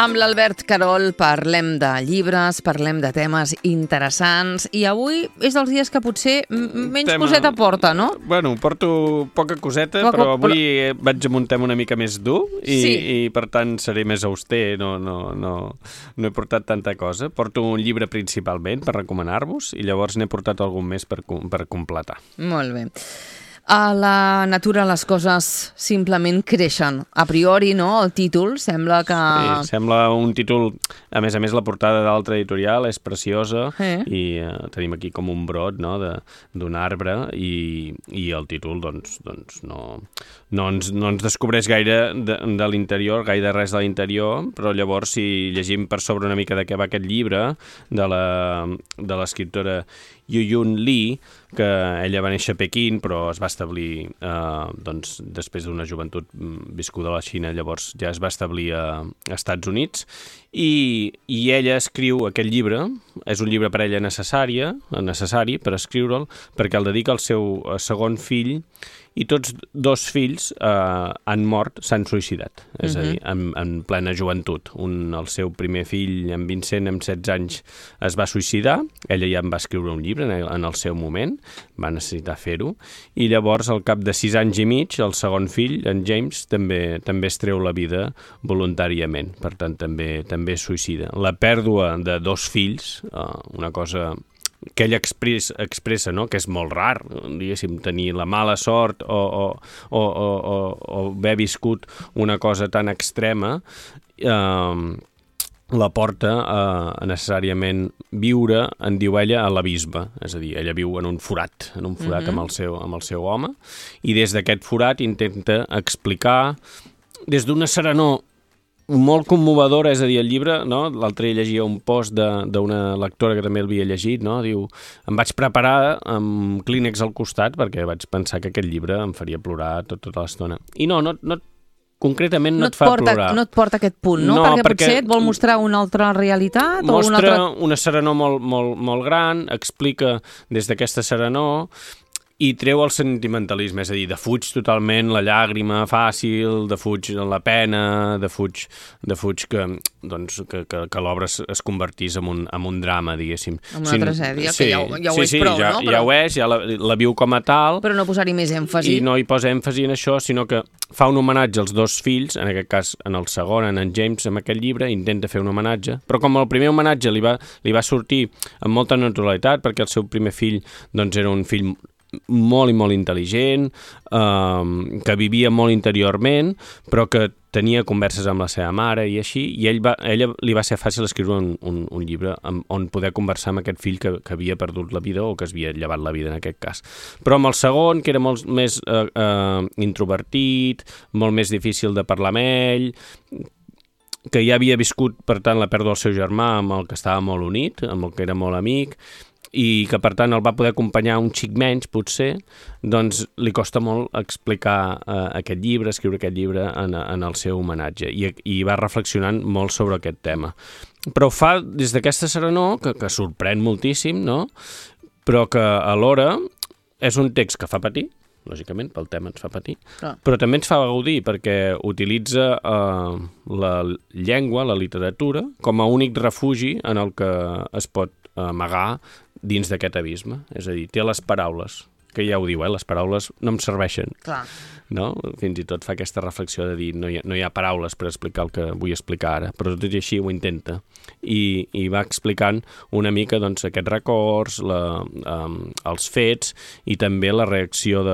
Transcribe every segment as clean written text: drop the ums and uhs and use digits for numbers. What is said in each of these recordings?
Amb l'Albert Carol parlem de llibres, parlem de temes interessants i avui és dels dies que potser menys coseta porta, no? Bueno, porto poca coseta, però avui vaig amb un tema una mica més dur i per tant seré més auster, no he portat tanta cosa. Porto un llibre principalment per recomanar-vos i llavors n'he portat algun més per completar. Molt bé. A la natura les coses simplement creixen. A priori, no? El títol sembla que... Sí, sembla un títol... A més, la portada de l'altra editorial és preciosa i tenim aquí com un brot, no?, d'un arbre i el títol doncs no ens descobreix gaire de l'interior, gaire res de l'interior, però llavors si llegim per sobre una mica de què va aquest llibre de l'escriptora Yuyun Li, que ella va néixer a Pequín però es va establir doncs, després d'una joventut viscuda a la Xina, llavors ja es va establir a Estats Units i ella escriu aquest llibre, és un llibre per ella necessari per escriure'l, perquè el dedica al seu segon fill i tots dos fills han mort, s'han suïcidat, és a dir, en plena joventut. El seu primer fill, en Vincent, amb 16 anys, es va suïcidar, ella ja en va escriure un llibre en el seu moment, va necessitar fer-ho, i llavors, al cap de 6 anys i mig, el segon fill, en James, també es treu la vida voluntàriament, per tant, també es suïcida. La pèrdua de dos fills, una cosa que ell expressa, no?, que és molt rar, diguéssim, tenir la mala sort o haver viscut una cosa tan extrema, la porta a necessàriament viure, en diu ella, a l'abisme. És a dir, ella viu en un forat amb el seu home, i des d'aquest forat intenta explicar, des d'una serenor molt commovedora, és a dir, el llibre, no? L'altre dia llegia un post d'una lectora que també l'havia llegit, no? Diu, em vaig preparar amb clínex al costat perquè vaig pensar que aquest llibre em faria plorar tota l'estona. I no concretament no et fa plorar. No et porta a aquest punt, no? Perquè potser et vol mostrar una altra realitat? Mostra una serenor molt gran, explica des d'aquesta serenor i treu el sentimentalisme, és a dir, defuig totalment la llàgrima fàcil, defuig la pena, defuig que l'obra es convertís en un drama, diguéssim. En una tragèdia, que ja ho és prou, no? Ja ho és, ja la viu com a tal. Però no posar-hi més èmfasi. I no hi posa èmfasi en això, sinó que fa un homenatge als dos fills, en aquest cas en el segon, en James, amb aquest llibre, intenta fer un homenatge, però com el primer homenatge li va sortir amb molta naturalitat, perquè el seu primer fill doncs, era un fill molt i molt intel·ligent, que vivia molt interiorment, però que tenia converses amb la seva mare i així, i ella li va ser fàcil escriure un llibre on poder conversar amb aquest fill que havia perdut la vida o que es havia llevat la vida en aquest cas. Però amb el segon, que era molt més introvertit, molt més difícil de parlar amb ell, que ja havia viscut, per tant, la pèrdua del seu germà, amb el que estava molt unit, amb el que era molt amic, i que, per tant, el va poder acompanyar un xic menys, potser, doncs li costa molt explicar aquest llibre, escriure aquest llibre en el seu homenatge, i va reflexionant molt sobre aquest tema. Però ho fa des d'aquesta serenor, que sorprèn moltíssim, no?, però que alhora és un text que fa patir, lògicament, pel tema ens fa patir, però també ens fa gaudir, perquè utilitza la llengua, la literatura, com a únic refugi en el que es pot amagar dins d'aquest abisme. És a dir, té les paraules, que ja ho diu, les paraules no em serveixen. Clar. No? Fins i tot fa aquesta reflexió de dir no hi ha paraules per explicar el que vull explicar ara, però tot i així ho intenta. I va explicant una mica doncs, aquests records, els fets i també la reacció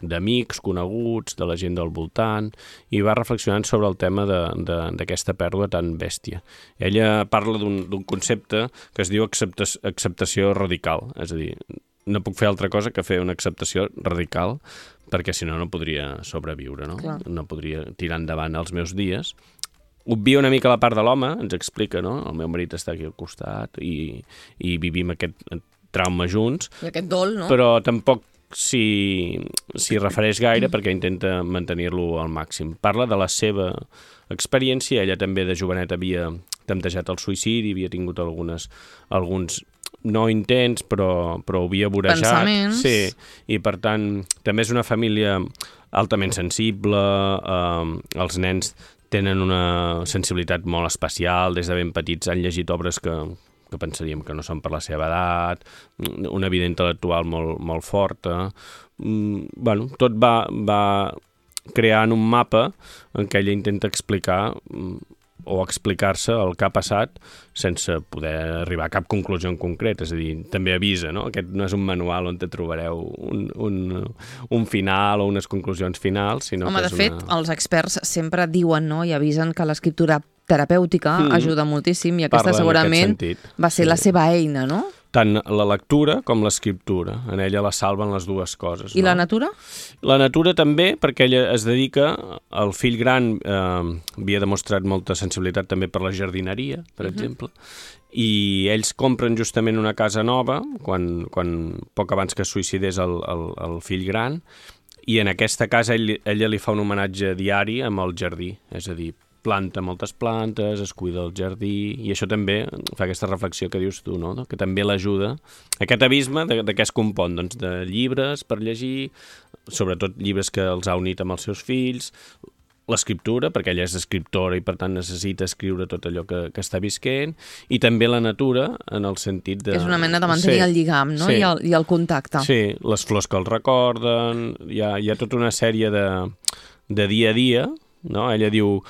d'amics, coneguts, de la gent del voltant, i va reflexionant sobre el tema d'aquesta pèrdua tan bèstia. Ella parla d'un concepte que es diu acceptació radical, és a dir, no puc fer altra cosa que fer una acceptació radical, perquè si no podria sobreviure, no? Clar. No podria tirar endavant els meus dies. Obvia una mica la part de l'home, ens explica, no? El meu marit està aquí al costat i vivim aquest trauma junts. I aquest dol, no? Però tampoc s'hi refereix gaire perquè intenta mantenir-lo al màxim. Parla de la seva experiència, ella també de jovenet havia temptejat el suïcidi, havia tingut alguns no intents, però havia vorejat. Pensaments. Sí, i per tant també és una família altament sensible, els nens tenen una sensibilitat molt especial, des de ben petits han llegit obres que pensaríem que no són per la seva edat, una vida intel·lectual molt forta. Bueno, tot va creant un mapa en què ella intenta explicar o explicar-se el que ha passat sense poder arribar a cap conclusió en concret, és a dir, també avisa, no? Aquest no és un manual on te trobareu un final o unes conclusions finals, sinó que és de fet, els experts sempre diuen, no?, i avisen que l'escriptura terapèutica ajuda moltíssim i aquesta segurament va ser la seva eina, no? Tant la lectura com l'escriptura. En ella la salven les dues coses. I la natura? La natura també, perquè ella es dedica, el fill gran havia demostrat molta sensibilitat també per la jardineria, per exemple, i ells compren justament una casa nova, quan poc abans que es suïcidés el fill gran, i en aquesta casa ella li fa un homenatge diari amb el jardí, és a dir, planta moltes plantes, es cuida el jardí, i això també fa aquesta reflexió que dius tu, no? Que també l'ajuda. Aquest abisme de què es compon? Doncs de llibres per llegir, sobretot llibres que els ha unit amb els seus fills, l'escriptura, perquè ella és escriptora i per tant necessita escriure tot allò que està visquent, i també la natura en el sentit de... És una mena de mantenir el lligam, no? I el contacte. Sí, les flors que el recorden, hi ha tota una sèrie de dia a dia, no? Ella diu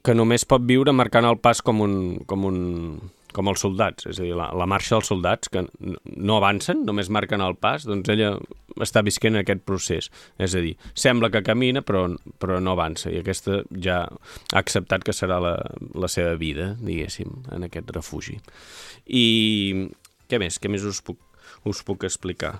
que només pot viure marcant el pas com els soldats, és a dir, la marxa dels soldats, que no avancen, només marquen el pas, doncs ella està visquent aquest procés, és a dir, sembla que camina però no avança, i aquesta ja ha acceptat que serà la seva vida, diguéssim, en aquest refugi. I què més us puc explicar?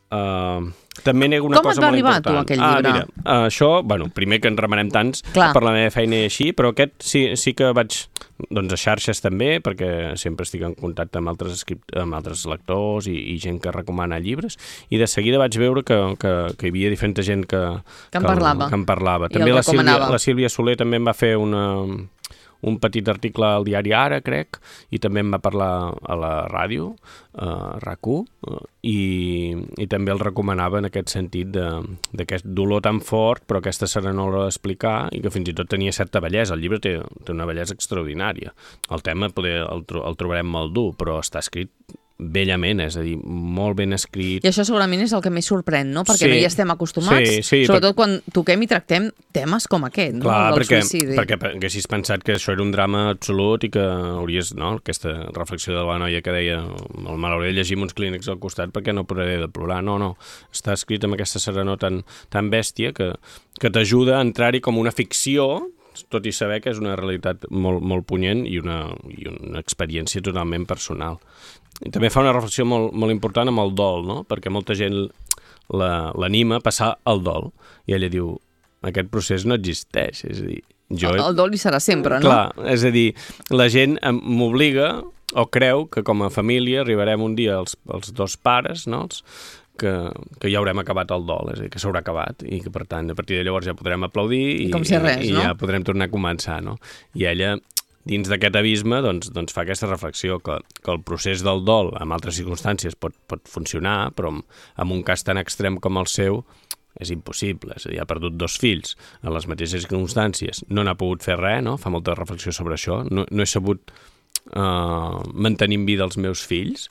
També nego una cosa molt important. Com et va arribar tu aquell llibre? Mira, això, bueno, primer que en remenem tants per la meva feina i així, però aquest sí que vaig, doncs a xarxes també, perquè sempre estic en contacte amb altres lectors i gent que recomana llibres, i de seguida vaig veure que hi havia diferent gent que en parlava. També la Sílvia Soler també em va fer un petit article al diari Ara, crec, i també em va parlar a la ràdio, RAC1, i també el recomanava en aquest sentit d'aquest dolor tan fort, però aquesta serenor d'explicar, i que fins i tot tenia certa bellesa. El llibre té una bellesa extraordinària. El tema el trobarem molt dur, però està escrit bellament, és a dir, molt ben escrit. I això segurament és el que més sorprèn, no? Perquè no hi estem acostumats, sobretot quan toquem i tractem temes com aquest, no? Clar, perquè haguessis pensat que això era un drama absolut i que hauries, no? Aquesta reflexió de la noia que deia m'hauré de llegir uns clínics al costat perquè no podré de plorar. No, està escrit amb aquesta serenor tan bèstia que t'ajuda a entrar-hi com una ficció, tot i saber que és una realitat molt punyent i una experiència totalment personal. I també fa una reflexió molt important amb el dol, no? Perquè molta gent l'anima a passar el dol. I ella diu, aquest procés no existeix. És a dir, el dol hi serà sempre, no? Clar, és a dir, la gent m'obliga o creu que com a família arribarem un dia els dos pares, no? Que ja haurem acabat el dol, és a dir, que s'haurà acabat i que, per tant, a partir de llavors ja podrem aplaudir i ja podrem tornar a començar, no? I ella, dins d'aquest abisme, doncs fa aquesta reflexió que el procés del dol en altres circumstàncies pot funcionar, però en un cas tan extrem com el seu és impossible. És a dir, ha perdut 2 fills en les mateixes circumstàncies, no n'ha pogut fer res, no? Fa molta reflexió sobre això. No he sabut mantenir en vida els meus fills,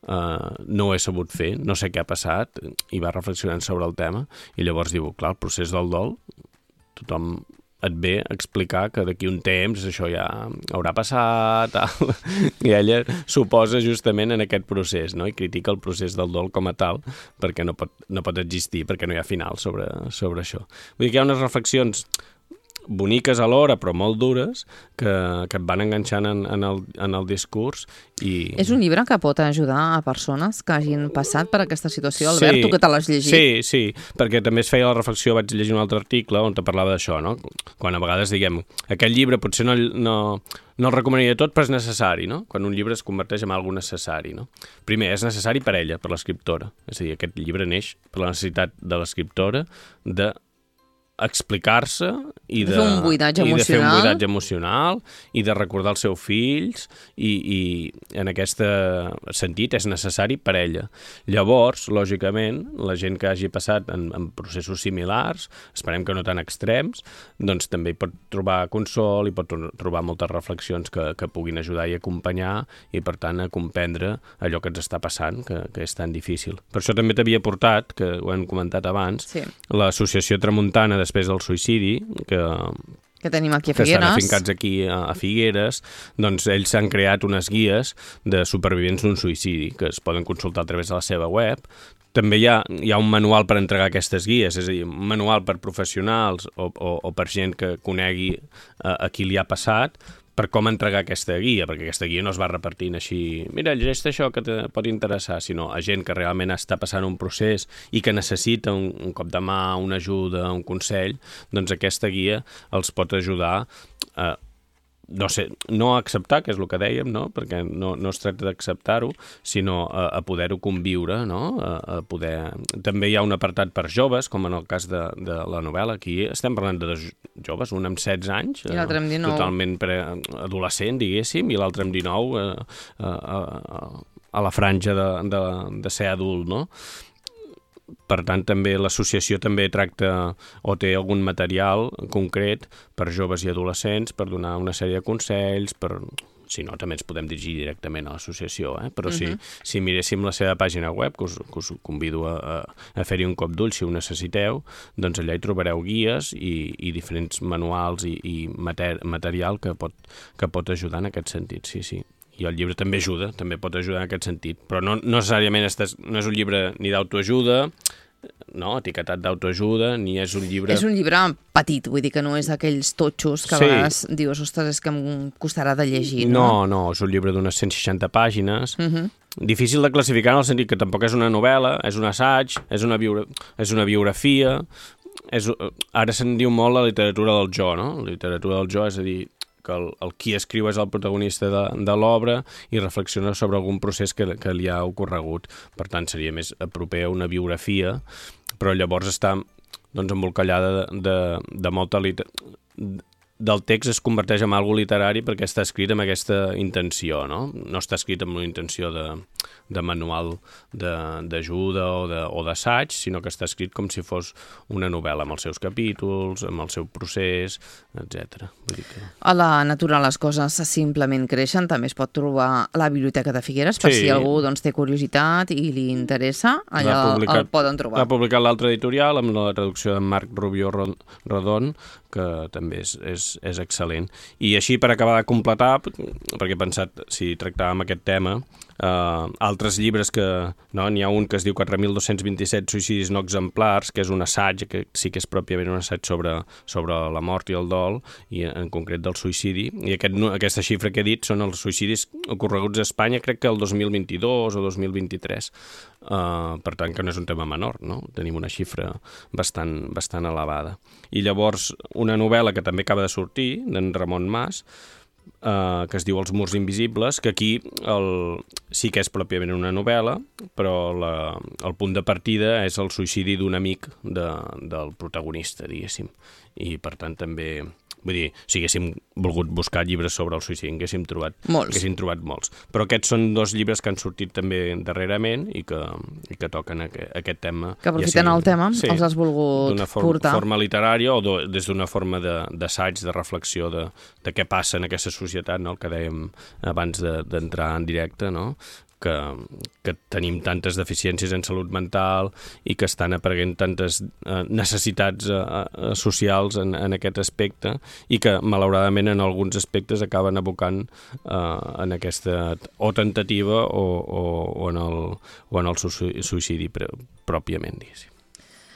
no ho he sabut fer, no sé què ha passat, i va reflexionant sobre el tema, i llavors diu, clar, el procés del dol, tothom et ve a explicar que d'aquí un temps això ja haurà passat, tal. I ella s'oposa justament en aquest procés, no? I critica el procés del dol com a tal, perquè no pot existir, perquè no hi ha final sobre això. Vull dir que hi ha unes reflexions boniques alhora, però molt dures, que et van enganxant en el discurs. És un llibre que pot ajudar a persones que hagin passat per aquesta situació, Albert, tu que te l'has llegit? Sí, perquè també es feia la reflexió, vaig llegir un altre article on te parlava d'això, no? Quan a vegades diguem, aquest llibre potser no el recomanaria tot, però és necessari, no? Quan un llibre es converteix en alguna necessari, no? Primer, és necessari per ella, per l'escriptora. És a dir, aquest llibre neix per la necessitat de l'escriptora de explicar-se i de fer un buidatge emocional i de recordar els seus fills i en aquest sentit és necessari per ella. Llavors, lògicament, la gent que hagi passat en processos similars, esperem que no tan extrems, doncs també hi pot trobar consol, hi pot trobar moltes reflexions que puguin ajudar i acompanyar i, per tant, a comprendre allò que ens està passant, que és tan difícil. Per això també t'havia portat, que ho hem comentat abans, l'Associació Tramuntana després del suïcidi, que tenim aquí a Figueres, que estan afincats aquí a Figueres, doncs ells s'han creat unes guies de supervivents d'un suïcidi que es poden consultar a través de la seva web. També hi ha un manual per entregar aquestes guies, és a dir, un manual per professionals o per gent que conegui a qui li ha passat, per com entregar aquesta guia, perquè aquesta guia no es va repartint així, mira, llegeix això que te pot interessar, sinó a gent que realment està passant un procés i que necessita un cop de mà, una ajuda, un consell, doncs aquesta guia els pot ajudar a no a acceptar, que és el que dèiem, no? Perquè no es tracta d'acceptar-ho, sinó a poder-ho conviure, no? A poder... També hi ha un apartat per joves, com en el cas de la novel·la. Aquí estem parlant de dos joves, un amb 16 anys, i l'altre amb 19. Totalment adolescent, diguéssim, i l'altre amb 19 a la franja de ser adult, no? Per tant, també l'associació també tracta o té algun material concret per joves i adolescents per donar una sèrie de consells, si no, també ens podem dirigir directament a l'associació, però si miréssim la seva pàgina web, que us convido a fer-hi un cop d'ull si ho necessiteu, doncs allà hi trobareu guies i diferents manuals i material que pot ajudar en aquest sentit, sí. I el llibre també ajuda, també pot ajudar en aquest sentit, però no necessàriament no és un llibre ni d'autoajuda, no, etiquetat d'autoajuda, ni és un llibre... És un llibre petit, vull dir que no és d'aquells totxos que a vegades dius, ostres, és que em costarà de llegir, no? No, és un llibre d'unes 160 pàgines, difícil de classificar en el sentit que tampoc és una novel·la, és un assaig, és una biografia, ara se'n diu molt la literatura del jo, no? La literatura del jo, és a dir, que el qui escriu és el protagonista de l'obra i reflexiona sobre algun procés que li ha ocorregut. Per tant, seria més proper a una biografia, però llavors està embolcallada de molta del text es converteix en algo literari perquè està escrit amb aquesta intenció, no? No està escrit amb una intenció de manual d'ajuda o d'assaig, sinó que està escrit com si fos una novel·la amb els seus capítols, amb el seu procés, etc. A la natura les coses simplement creixen, també es pot trobar a la Biblioteca de Figueres, per si algú té curiositat i li interessa, allà el poden trobar. L'ha publicat l'altre editorial amb la traducció de Marc Rubió Rodon, que també és excel·lent. I així, per acabar de completar, perquè he pensat, si tractàvem aquest tema, altres llibres que... N'hi ha un que es diu 4.227 suïcidis no exemplars, que és un assaig, que sí que és pròpiament un assaig sobre la mort i el dol, i en concret del suïcidi. I aquesta xifra que he dit són els suïcidis ocorreguts a Espanya, crec que el 2022 o 2023. Per tant, que no és un tema menor, no? Tenim una xifra bastant elevada. I llavors, una novel·la que també acaba de sortir, d'en Ramon Mas, que es diu Els murs invisibles, que aquí sí que és pròpiament una novel·la, però el punt de partida és el suïcidi d'un amic del protagonista, diguéssim. I, per tant, també... Vull dir, si haguéssim volgut buscar llibres sobre el suïcidi, haguéssim trobat molts. Però aquests són dos llibres que han sortit també darrerament i que toquen aquest tema. Que aprofiten el tema, els has volgut portar. D'una forma literària o des d'una forma d'assaig, de reflexió de què passa en aquesta societat, no? El que dèiem abans d'entrar en directe, no? Que tenim tantes deficiències en salut mental i que estan apareguent tantes necessitats socials en aquest aspecte i que, malauradament, en alguns aspectes acaben abocant en aquesta o tentativa o en el suïcidi pròpiament, diguéssim.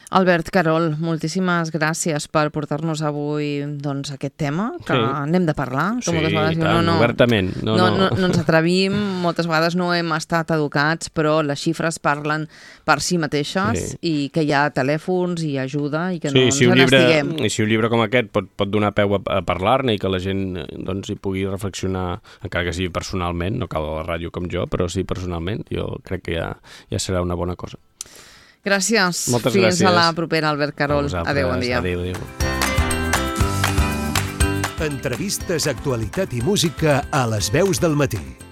Albert, Carol, moltíssimes gràcies per portar-nos avui aquest tema, que n'hem de parlar. Sí, tant, obertament. No ens atrevim, moltes vegades no hem estat educats, però les xifres parlen per si mateixes i que hi ha telèfons i ajuda i que no ens n'estiguem. I si un llibre com aquest pot donar peu a parlar-ne i que la gent hi pugui reflexionar, encara que sigui personalment, no cal a la ràdio com jo, però sí personalment, jo crec que ja serà una bona cosa. Gràcies. Moltes gràcies. Fins a la gràcies. propera, Albert Carol. Adéu, bon dia. Adéu. Entrevistes, actualitat i música a les veus del matí.